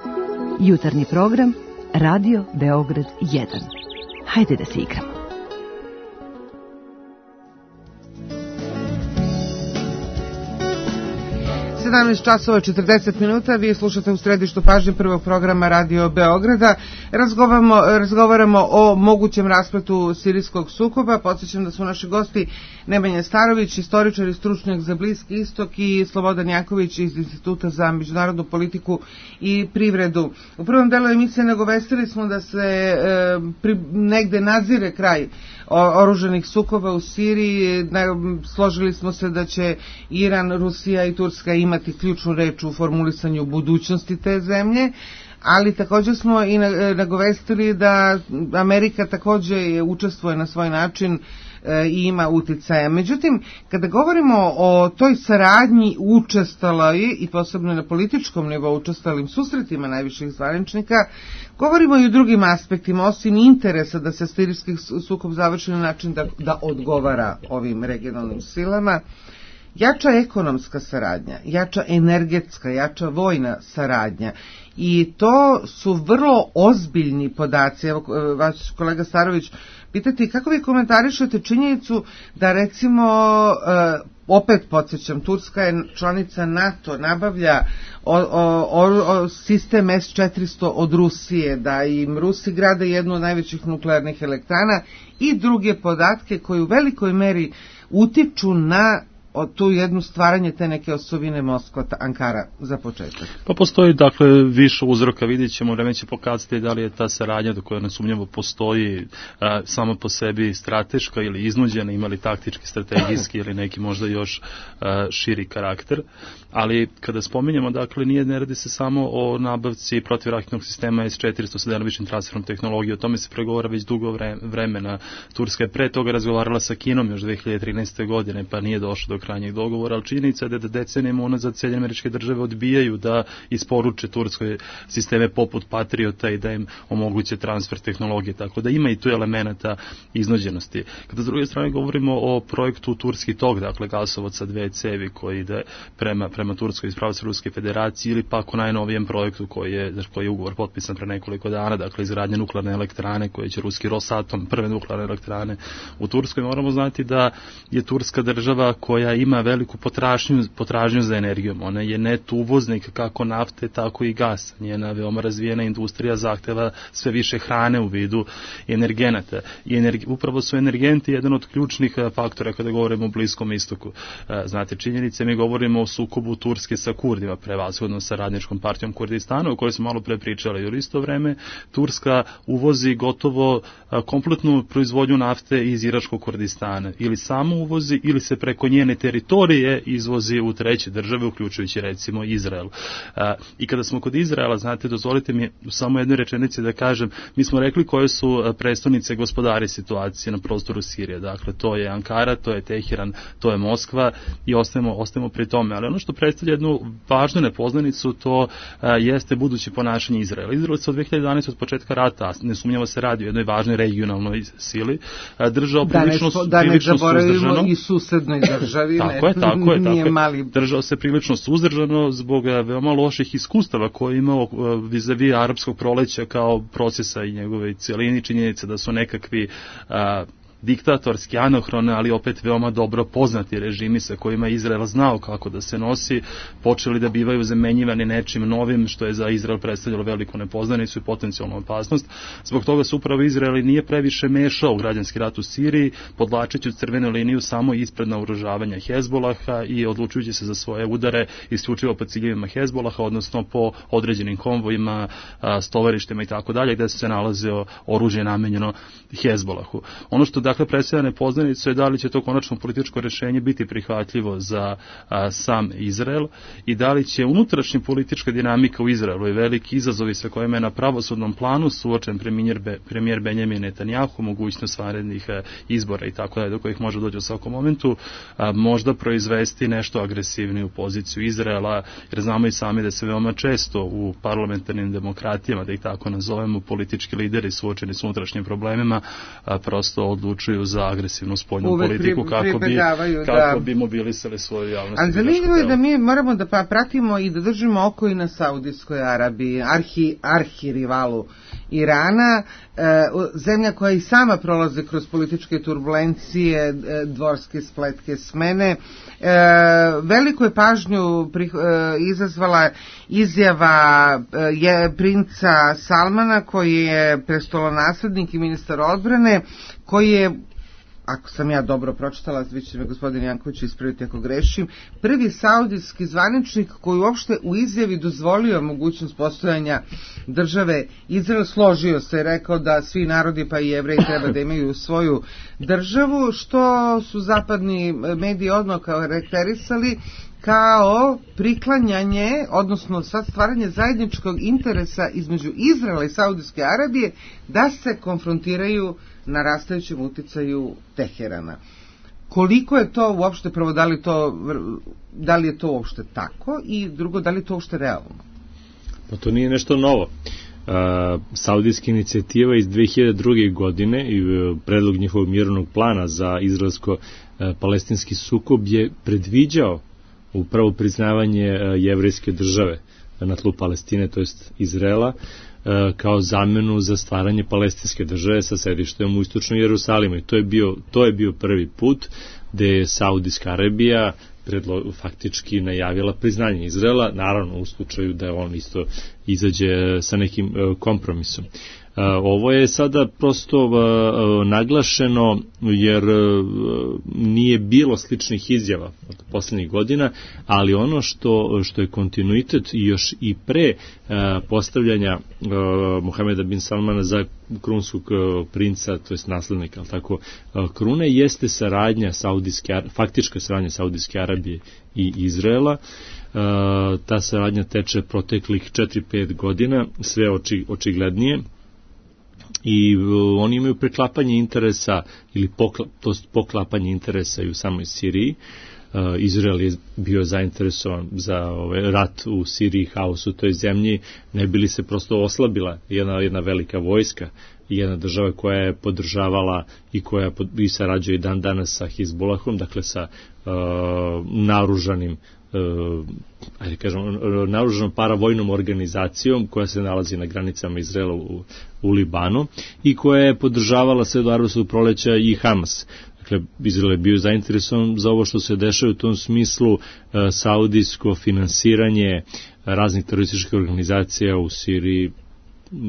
Jutarnji program Radio Beograd 1. Hajde da se igramo. časova 40 minuta, vi slušate u središtu pažnje prvog programa Radio Beograda. Razgovaramo o mogućem raspletu sirijskog sukoba. Podsjećam da su naši gosti Nemanja Starović, istoričar i stručnjak za Bliski istok, i Slobodan Jaković iz Instituta za međunarodnu politiku i privredu. U prvom delu emisije nagovestili smo da se negde nazire kraj oružanih sukoba u Siriji. Složili smo se da će Iran, Rusija i Turska imati ključnu reč u formulisanju budućnosti te zemlje, ali također smo i nagovestili da Amerika također učestvuje na svoj način i ima uticaja. Međutim, kada govorimo o toj saradnji učestaloj i posebno na političkom nivou učestalim susretima najviših zvaničnika, govorimo i o drugim aspektima, osim interesa da se sirijski sukob završi na način da odgovara ovim regionalnim silama. Jača ekonomska saradnja, jača energetska, jača vojna saradnja, i to su vrlo ozbiljni podaci. Evo, vaš kolega Starović, pitati kako vi komentarišete činjenicu da, recimo, opet podsjećam, Turska je članica NATO, nabavlja sistem S-400 od Rusije, da im Rusi grade jednu od najvećih nuklearnih elektrana, i druge podatke koji u velikoj meri utiču na tu jednu stvaranje te neke osovine Moskva, Ankara za početak. Pa postoji dakle više uzroka, vidjet ćemo, vreme će pokazati da li je ta saradnja do koja nesumnjivo postoji samo po sebi strateška ili iznuđena, ima li taktički, strategijski ili neki možda još širi karakter, ali kada spominjemo, dakle, ne radi se samo o nabavci protivraketnog sistema S-400 sa delimičnim transferom tehnologije, o tome se pregovara već dugo vremena. Turska je pre toga razgovarala sa Kinom još 2013. godine, pa nije došlo do krajnjeg dogovora, ali činjenica je da decenijama unazad Sjedinjene Američke Države odbijaju da isporuče Turskoj sisteme poput Patriota i da im omoguće transfer tehnologije, tako da ima i tu elemenata iznuđenosti. Kada s druge strane govorimo o projektu Turski tok, dakle gasovod sa 2 cevi koji ide prema Turskoj iz pravaca Ruske federacije, ili pak o najnovijem projektu koji je ugovor potpisan pre nekoliko dana, dakle izgradnje nuklearne elektrane koje će ruski Rosatom, prve nuklearne elektrane u Turskoj. Moramo znati da je Turska država koja ima veliku potražnju za energijom. Ona je net uvoznik kako nafte, tako i gasa. Njena veoma razvijena industrija zahteva sve više hrane u vidu energenata. Upravo su energenti jedan od ključnih faktora kada govorimo o Bliskom istoku. Znate, činjenice, mi govorimo o sukobu Turske sa Kurdima, prevashodno sa radničkom partijom Kurdistana, o kojoj smo malo pre pričali. Jer isto vreme Turska uvozi gotovo kompletnu proizvodnju nafte iz Iračkog Kurdistana. Ili samo uvozi, ili se preko njene teritorije izvozi u treće države, uključujući recimo Izrael. I kada smo kod Izraela, znate, dozvolite mi samo jednoj rečenici da kažem, mi smo rekli koje su prestonice gospodari situacije na prostoru Sirije. Dakle, to je Ankara, to je Teheran, to je Moskva, i ostajemo pri tome. Ali ono što predstavlja jednu važnu nepoznanicu, to jeste buduće ponašanje Izraela. Izrael se od 2011. od početka rata, nesumnjivo se radi o jednoj važnoj regionalnoj sili, držao prilično suzdržano. I susednoj državi. Tako je. Držao se prilično suzdržano zbog veoma loših iskustava koje je imao vis-a-vis arapskog proleća kao procesa i njegove cijelini. Činjenice da su nekakvi diktatorski, anohrone, ali opet veoma dobro poznati režimi sa kojima Izrael znao kako da se nosi, počeli da bivaju zamenjivani nečim novim, što je za Izrael predstavljalo veliku nepoznanicu i potencijalnu opasnost. Zbog toga se upravo Izrael nije previše mešao u građanski rat u Siriji, podlačeći crvenu liniju samo ispred naoružavanja Hezbolaha i odlučujući se za svoje udare isključivo po ciljevima Hezbolaha, odnosno po određenim konvojima, stovarištima i tako dalje, gde se nalazio oružje namenjeno Hezbolahu. Ono što dakle predstavlja nepoznanicu je da li će to konačno političko rešenje biti prihvatljivo za sam Izrael i da li će unutrašnja politička dinamika u Izraelu i veliki izazovi sa kojima je na pravosudnom planu suočen premijer Benjamin Netanjahu, mogućnost vanrednih izbora i tako dalje, do kojih može doći u svakom momentu, možda proizvesti nešto agresivniju poziciju Izraela, jer znamo i sami da se veoma često u parlamentarnim demokratijama, da ih tako nazovemo, politički lideri suočeni s unutrašnjim problemima prosto odlučuju za agresivnu spoljnu politiku kako bi mobilisali svoju javnost. Ali zanimljivo je da mi moramo da pratimo i da držimo oko i na Saudijskoj Arabiji, arhirivalu Irana, zemlja koja i sama prolaze kroz političke turbulencije, dvorske spletke, smene. Veliko je pažnju izazvala izjava princa Salmana, koji je prestolonaslednik i ministar odbrane, koji je, ako sam ja dobro pročitala, vi će me gospodin Janković ispraviti ako grešim, prvi saudijski zvaničnik koji uopšte u izjavi dozvolio mogućnost postojanja države Izrael, složio se i rekao da svi narodi pa i Jevreji treba da imaju svoju državu, što su zapadni mediji odmah karakterisali kao priklanjanje, odnosno sad stvaranje zajedničkog interesa između Izraela i Saudijske Arabije da se konfrontiraju na rastajućem uticaju Teherana. Koliko je to uopšte, prvo, da li je to uopšte tako i drugo, da li je to uopšte realno? Pa to nije nešto novo. Saudijska inicijativa iz 2002. godine i predlog njihovog mirovnog plana za izraelsko-palestinski sukob je predviđao upravo priznavanje jevrejske države na tlu Palestine, to jest Izraela, kao zamenu za stvaranje palestinske države sa sedištem u istočnom Jerusalimu. I to je bio prvi put gde je Saudijska Arabija faktički najavila priznanje Izraela, naravno u slučaju da on isto izađe sa nekim kompromisom. Ovo je sada prosto naglašeno jer nije bilo sličnih izjava od poslednjih godina, ali ono što je kontinuitet i još i pre postavljanja Mohameda bin Salmana za krunskog princa, to jest naslednika, ali tako, krune, jeste saradnja faktička saradnja Saudijske Arabije i Izraela. Ta saradnja teče proteklih 4-5 godina, sve očiglednije. I oni imaju preklapanje interesa ili poklapanje interesa i u samoj Siriji. Izrael je bio zainteresovan za rat u Siriji, haos u toj zemlji, ne bi li se prosto oslabila jedna velika vojska i jedna država koja je podržavala i koja i sarađuje dan danas sa Hizbulahom, dakle sa naoružanim naoružanom paravojnom organizacijom koja se nalazi na granicama Izraela u Libanu i koja je podržavala sve do arapskog proleća i Hamas. Dakle, Izrael je bio zainteresovan za ovo što se dešava u tom smislu. Saudijsko finansiranje raznih terorističkih organizacija u Siriji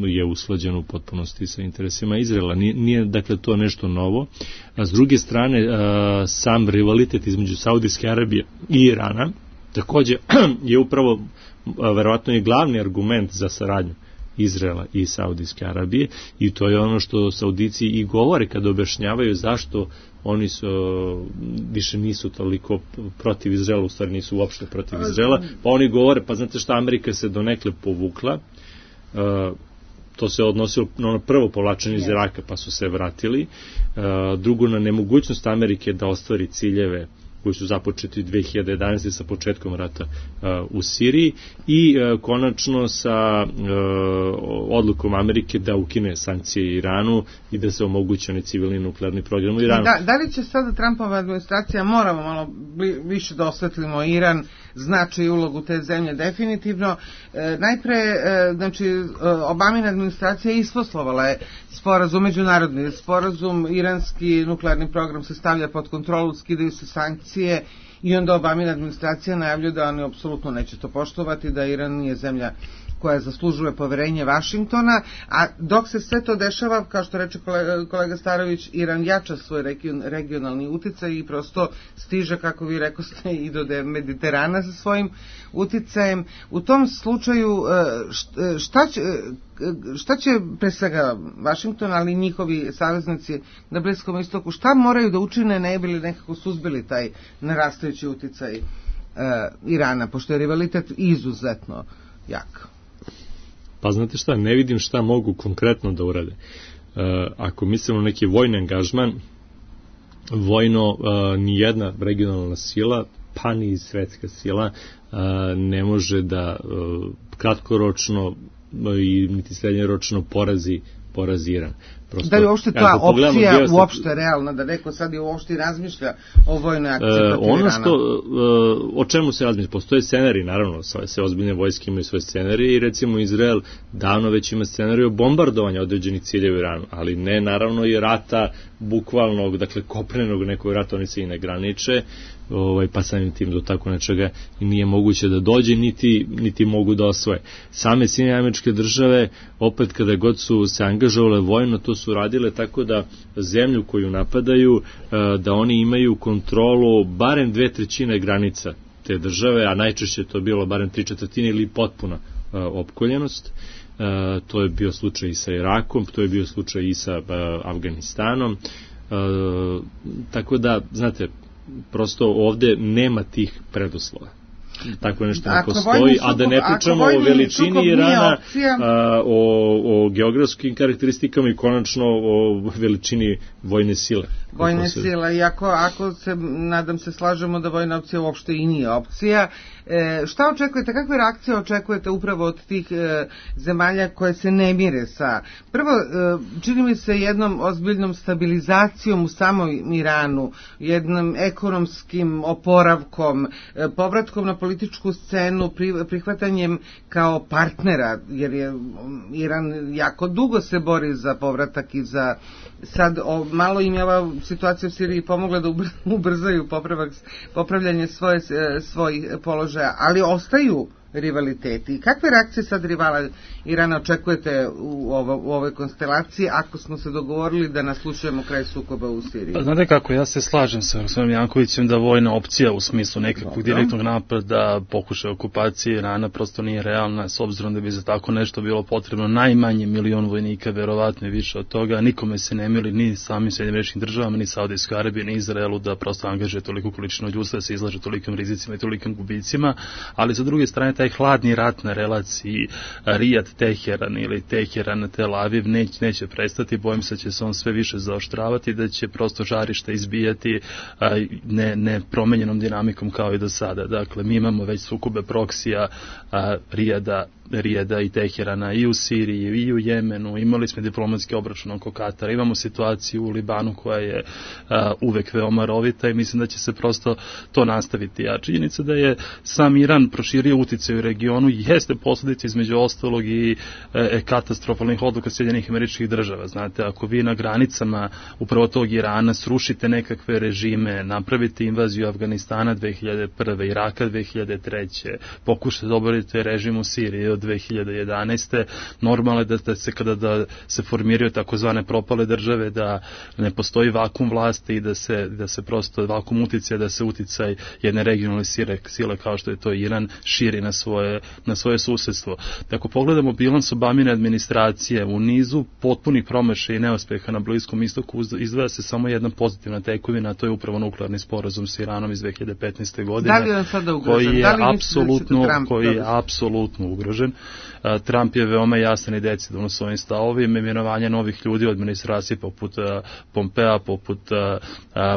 je usklađeno u potpunosti sa interesima Izraela. Nije dakle to nešto novo. A s druge strane, sam rivalitet između Saudijske Arabije i Irana takođe je upravo, verovatno je glavni argument za saradnju Izraela i Saudijske Arabije i to je ono što Saudici i govore kada objašnjavaju zašto oni više nisu toliko protiv Izraela, u stvari nisu uopšte protiv Izraela, pa oni govore, pa znate šta, Amerika se donekle povukla, to se odnosilo na ono prvo povlačenje iz Iraka, pa su se vratili, drugo na nemogućnost Amerike da ostvari ciljeve koji su započeti 2011. sa početkom rata u Siriji i konačno sa odlukom Amerike da ukine sankcije Iranu i da se omogući onaj civilni nuklearni program u Iranu. Da li će sada Trumpova administracija, moramo malo više da osvetlimo Iran, značaj i ulogu te zemlje definitivno. Najpre, znači, Obamina administracija isposlovala je sporazum, međunarodni sporazum, iranski nuklearni program se stavlja pod kontrolu, skidaju se sankcije i onda Obamina administracija najavljuje da oni apsolutno neće to poštovati, da Iran nije zemlja koja zaslužuje poverenje Vašingtona, a dok se sve to dešava, kao što reče kolega Starović, Iran jača svoj regionalni uticaj i prosto stiže, kako vi rekoste, i do Mediterana sa svojim uticajem. U tom slučaju šta će pre svega Vašington, ali i njihovi saveznici na Bliskom istoku, šta moraju da učine ne bi li nekako suzbili taj narastajući uticaj Irana, pošto je rivalitet izuzetno jak? Pa znate šta, ne vidim šta mogu konkretno da urade. Ako mislimo na neki vojni angažman, vojno nijedna regionalna sila, pa ni svetska sila, ne može da kratkoročno i niti srednjoročno porazi Iran. Prosto, da li uopšte ta opcija uopšte realna, da neko sad i uopšte razmišlja o vojnoj akciji protiv Irana? O čemu se razmišlja? Postoje scenariji, naravno, sve ozbiljne vojske imaju svoje scenarije i recimo Izrael davno već ima scenariju bombardovanja određenih ciljeva u Iranu, ali ne naravno i rata bukvalnog, dakle kopnenog nekog rata, oni se i ne graniče, pa samim tim do tako nečega nije moguće da dođe, niti mogu da osvoje. Same Sjedinjene Američke Države, opet kada god su se angažovale vojno, to su radile tako da zemlju koju napadaju, da oni imaju kontrolu barem 2/3 granica te države, a najčešće to bilo barem 3/4 ili potpuna opkoljenost. To je bio slučaj i sa Irakom, to je bio slučaj i sa Afganistanom. Tako da, znate, prosto ovde nema tih preduslova. Tako nešto ne postoji, a da ne pričamo o veličini Irana, o geografskim karakteristikama i konačno o veličini vojne sile. Vojne sile, i ako se, nadam se, slažemo da vojna opcija uopšte i nije opcija. Šta očekujete, kakve reakcije očekujete upravo od tih zemalja koje se ne mire sa, prvo, čini mi se jednom ozbiljnom stabilizacijom u samom Iranu, jednom ekonomskim oporavkom, povratkom na političku scenu, prihvatanjem kao partnera, jer je Iran jako dugo se bori za povratak i za sad malo im je ova situacija u Siriji pomogla da ubrzaju popravljanje svojih položaja, ali ostaju rivaliteti. Kakve reakcije sad rivala Irana očekujete u ovoj konstelaciji ako smo se dogovorili da naslušujemo kraj sukoba u Siriji? Znate kako, ja se slažem sa gospodinom Jankovićem da vojna opcija u smislu nekakvog direktnog napada, pokušaja okupacije Irana prosto nije realna, s obzirom da bi za tako nešto bilo potrebno najmanje 1 milion vojnika, verovatno i više od toga. Nikome se ne mili ni samim Sjedinjenim Američkim Državama, ni Saudijskoj Arabiji, ni Izraelu da prosto angažuje toliku količinu ljudstva, da se izlaže tolikim rizicima i tolikim gubicima, ali sa druge strane taj hladni rat na relaciji Rijad-Teheran ili Teheran-Tel Aviv neće prestati, bojim se da će se on sve više zaoštravati, da će prosto žarište izbijati nepromenjenom dinamikom kao i do sada. Dakle, mi imamo već sukobe proksija Rijada i Teherana i u Siriji i u Jemenu, imali smo diplomatski obračun oko Katara, imamo situaciju u Libanu koja je uvek veoma rovita i mislim da će se prosto to nastaviti. A činjenica da je sam Iran proširio uticaj u regionu jeste posledica između ostalog i katastrofalnih odluka Sjedinjenih Američkih Država. Znate, ako vi na granicama upravo tog Irana srušite nekakve režime, napravite invaziju Afganistana 2001. Iraka 2003. pokušate da oborite režim u Siriji od 2011. Normalno je da se kada se formiraju takozvane propale države, da ne postoji vakum vlasti i da se prosto vakum uticaja, da se uticaj jedne regionalne sile kao što je to Iran širi na svoje susedstvo. Ako pogledamo bilans Obamine administracije, u nizu potpunih promašaja i neuspeha na Bliskom istoku izdvaja se samo jedna pozitivna tekovina, a to je upravo nuklearni sporazum s Iranom iz 2015. godine. Da li je on sada ugrožen? Koji je apsolutno ugrožen. Trump je veoma jasan i decidan u svojim stavovima, imenovanje novih ljudi u administraciji poput Pompea, poput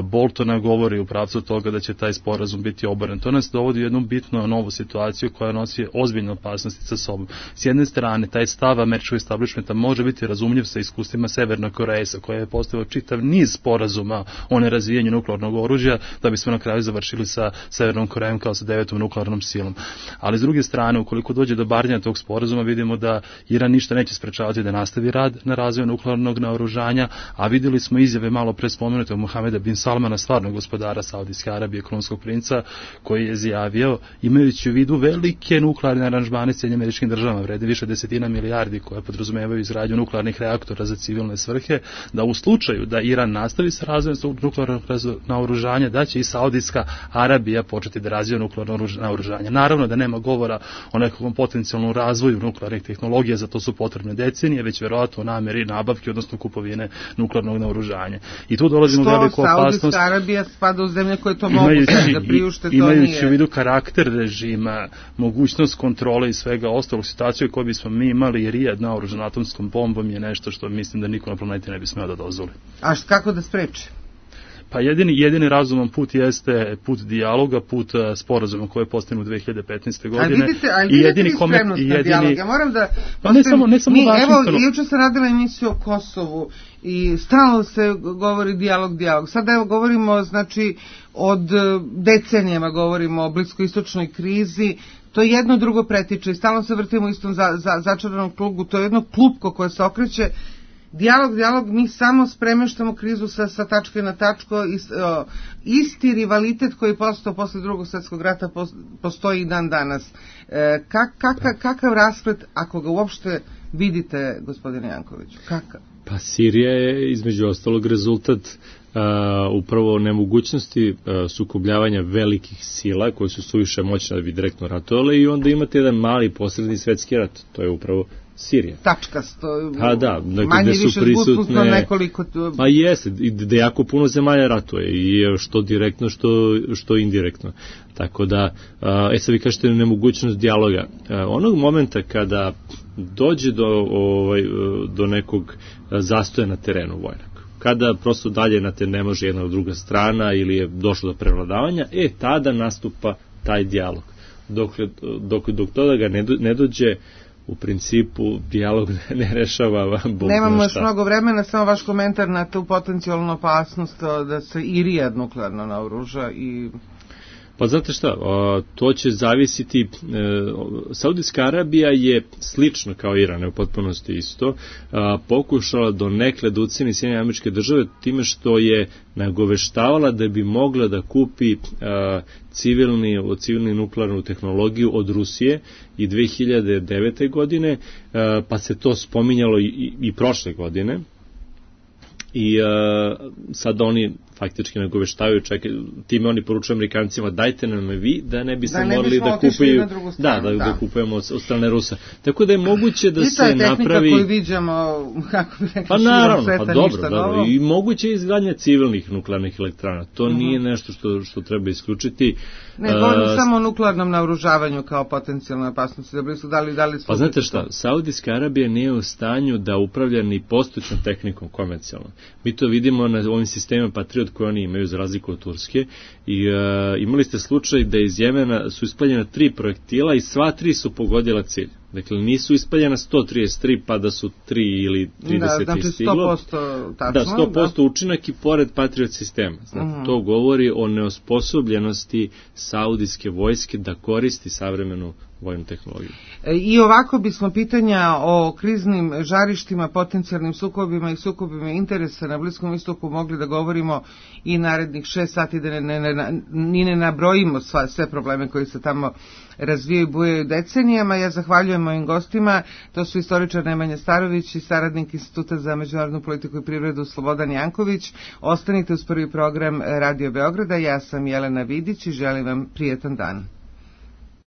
Boltona govori u pravcu toga da će taj sporazum biti oboren. To nas dovodi u jednu bitnu novu situaciju koja nosi ozbiljne opasnosti sa sobom. S jedne strane, taj stav američkog establishmenta može biti razumljiv sa iskustvima Severne Koreje, sa koja je postavio čitav niz sporazuma o nerazvijenju nuklearnog oružja, da bismo na kraju završili sa Severnom Korejom kao sa 9. nuklearnom silom. Ali s druge strane, ukoliko dođe do barnja tog sporazuma, vidimo da Iran ništa neće sprečavati da nastavi rad na razvoju nuklearnog naoružanja, a vidjeli smo izjave malo pre spomenutog Mohameda bin Salmana, stvarnog gospodara Saudijske Arabije, krunskog princa, koji je izjavio, imajući u vidu velike nuklearne aranžmane s Sjedinjenim Američkim Državama, vrede više desetina milijardi koje podrazumevaju izgradnju nuklearnih reaktora za civilne svrhe, da u slučaju da Iran nastavi sa razvojem svog nuklearnog naoružanja, da će i Saudijska Arabija početi da razvija nuklearno naoružanje. Naravno da nema govora o nekakvom potencijalnom razvoju nuklearnih tehnologija, za to su potrebne decenije, već verovatno nameri nabavke, odnosno kupovine nuklearnog naoružanja. I tu dolazimo u veliku opasnost. Saudijska Arabija spada u zemlje koje to mogu da priušte, to nije. Imajući u vidu karakter režima, mogućnost kontrole i svega ostalog, situaciju koju bismo mi imali i Rijad naoružan atomskom bombom je nešto što mislim da niko na planeti ne bi smeo da dozvoli. A kako da spreči? Pa jedini razuman put jeste put dijaloga, put sporazuma koje je postignu 2015. godine. Ali vidite vi spremnost na dijalog. Ja moram da... Pa ne samo Evo, juče sam radila emisiju o Kosovu i stalno se govori dijalog. Sada evo govorimo, znači, od decenijama govorimo o bliskoistočnoj krizi. To jedno drugo pretiče i stalno se vrtimo u istom začaranom krugu. To je jedno klupko koje se okreće. Dijalog, mi samo spremeštamo krizu sa tačke na tačku. Isti rivalitet koji je postao posle Drugog svjetskog rata postoji i dan danas. Kakav rasplet, ako ga uopšte vidite, gospodine Jankoviću, kakav? Pa Sirija je između ostalog rezultat upravo nemogućnosti sukobljavanja velikih sila koje su suviše moćne da bi direktno ratovale i onda imate jedan mali posredni svetski rat, to je upravo Sirija. Tačkasto, da, manje više zgusnutno nekoliko... Pa jeste, da jako puno zemalja ratuje i što direktno, što indirektno. Tako da, sad vi kažete nemogućnost dijaloga. Onog momenta kada dođe do nekog zastoja na terenu vojnog, kada prosto dalje na te ne može jedna od druga strana ili je došlo do prevladavanja, tada nastupa taj dijalog. Dok toga ga ne dođe, u principu dijalog ne rešava Bog. Nemamo još mnogo vremena, samo vaš komentar na tu potencijalnu opasnost da se i Rijad nuklearno naoruža i... Pa znate šta, to će zavisiti, Saudijska Arabija je slično kao Iran, u potpunosti isto, pokušala donekle da uceni Sjedinjene Američke Države time što je nagoveštavala da bi mogla da kupi civilni nuklearnu tehnologiju od Rusije i 2009. godine, pa se to spominjalo i prošle godine. I sad oni faktički nagoveštavaju, time oni poručuju Amerikancima, dajte nam vi, da ne bi se morali da kupuju, da kupujemo od strane Rusa. Tako da je moguće da se napravi... I to je tehnika koju viđamo, kako bi rekli, pa naravno, pa dobro, i moguće je izgradnja civilnih nuklearnih elektrana. To nije nešto što treba isključiti. Ne, govorim samo o nuklearnom naoružavanju kao potencijalnoj opasnosti. Pa znate šta, Saudijska Arabija nije u stanju da upravlja ni postojećom tehnikom komercijalno. Mi to vidimo na ovim sistemima Patriot koje oni imaju za razliku od Turske i imali ste slučaj da iz Jemena su ispaljena 3 projektila i sva 3 su pogodila cilj. Dakle, nisu ispaljena 133 pa da su 3 ili 30 stiglo. Znači 100% učinak i pored Patriot sistema. Znači, to govori o neosposobljenosti saudijske vojske da koristi savremenu vojnu tehnologiju. I ovako bismo pitanja o kriznim žarištima, potencijalnim sukobima i sukobima interesa na Bliskom istoku mogli da govorimo i narednih 6 sati, da ne nabrojimo sve probleme koji se tamo razvijaju i bujaju decenijama. Ja zahvaljujem mojim gostima, to su istoričar Nemanja Starović i saradnik Instituta za međunarodnu politiku i privredu Slobodan Janković. Ostanite uz prvi program Radio Beograda, ja sam Jelena Vidić i želim vam prijetan dan.